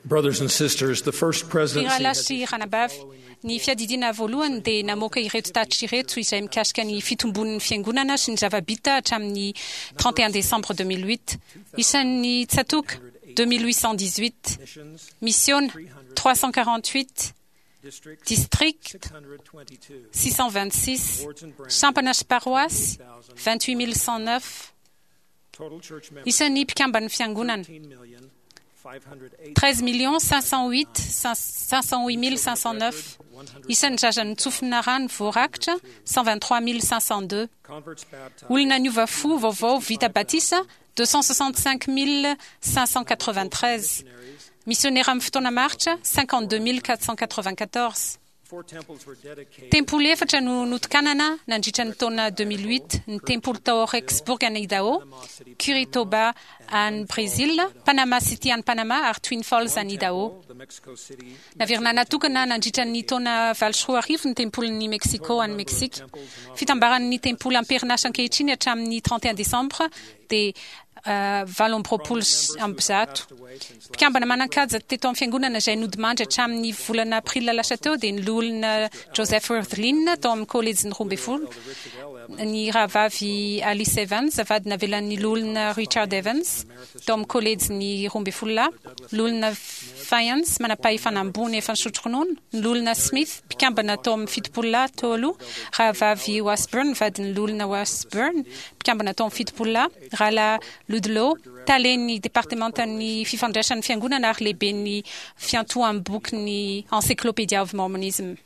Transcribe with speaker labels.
Speaker 1: Brothers and sisters, the First
Speaker 2: Ry
Speaker 1: Presidency
Speaker 2: rahalahy
Speaker 1: has
Speaker 2: sy ranabavy, ny fiadidiana voalohany dia namoaka ireto tatitra ireto izay mikasika ny fitombon'ny fiangonana sy ny zava-bita hatramin'ny 31 décembre 2008. Isan'ny tsatoka 2818,
Speaker 1: missions,
Speaker 2: misiona 348,
Speaker 1: districts
Speaker 2: district
Speaker 1: 622,
Speaker 2: 626,
Speaker 1: wards and branches
Speaker 2: sampana sy paroasy 28109,
Speaker 1: total church members
Speaker 2: isan'ny mpikamban'ny fiangonana
Speaker 1: 13,508,509,
Speaker 2: 13 508 508 509, isan'ny zaza nitsofina rano voarakitra 123 502,
Speaker 1: converts baptized
Speaker 2: olona niova fo vaovao vita batisa 265 593, misionera amin'ny fotoana maritra 52 494.
Speaker 1: Four temples were dedicated
Speaker 2: Tempoly efatra no notokanana nandritra ny taona 2008, ny tempoly tao Rexburg any Idaho, Curitiba any Brésil, Panama City any Panama ary Twin Falls any Idaho.
Speaker 1: the Mexico City
Speaker 2: Naverina natokana nandritra ny taona 2008 ny tempolin'ny Mexico any Meksika. Fitambaran'ny tempoly amperinasa ankehitriny hatramin'ny 31 décembre dia 128. Mpikambana manan-kaja teto amin'ny fiangonana izay nodimandry hatramin'ny volana aprila lasa teo dia ny loholona Joseph Wirthlin tao amin'ny kolejin'ny 12, ny rahavavy Alice Evans vady navelan'ny loholona Richard Evans tao amin'ny kolejin'ny 12 lahy, loholona Fiance manam-pahefana ambony efa nisotro ronono, ny loholona Smith mpikambana tao amin'ny 70 lahy teo aloha, rahavavy Washburn vadin'ny loholona Washburn mpikambana tao amin'ny 70 lahy, rahalahy Ludlow talen'ny departementan'ny fifandraisan'ny fiangonana ary lehiben'ny fiantoham-bokin'ny Encyclopedia of Mormonism.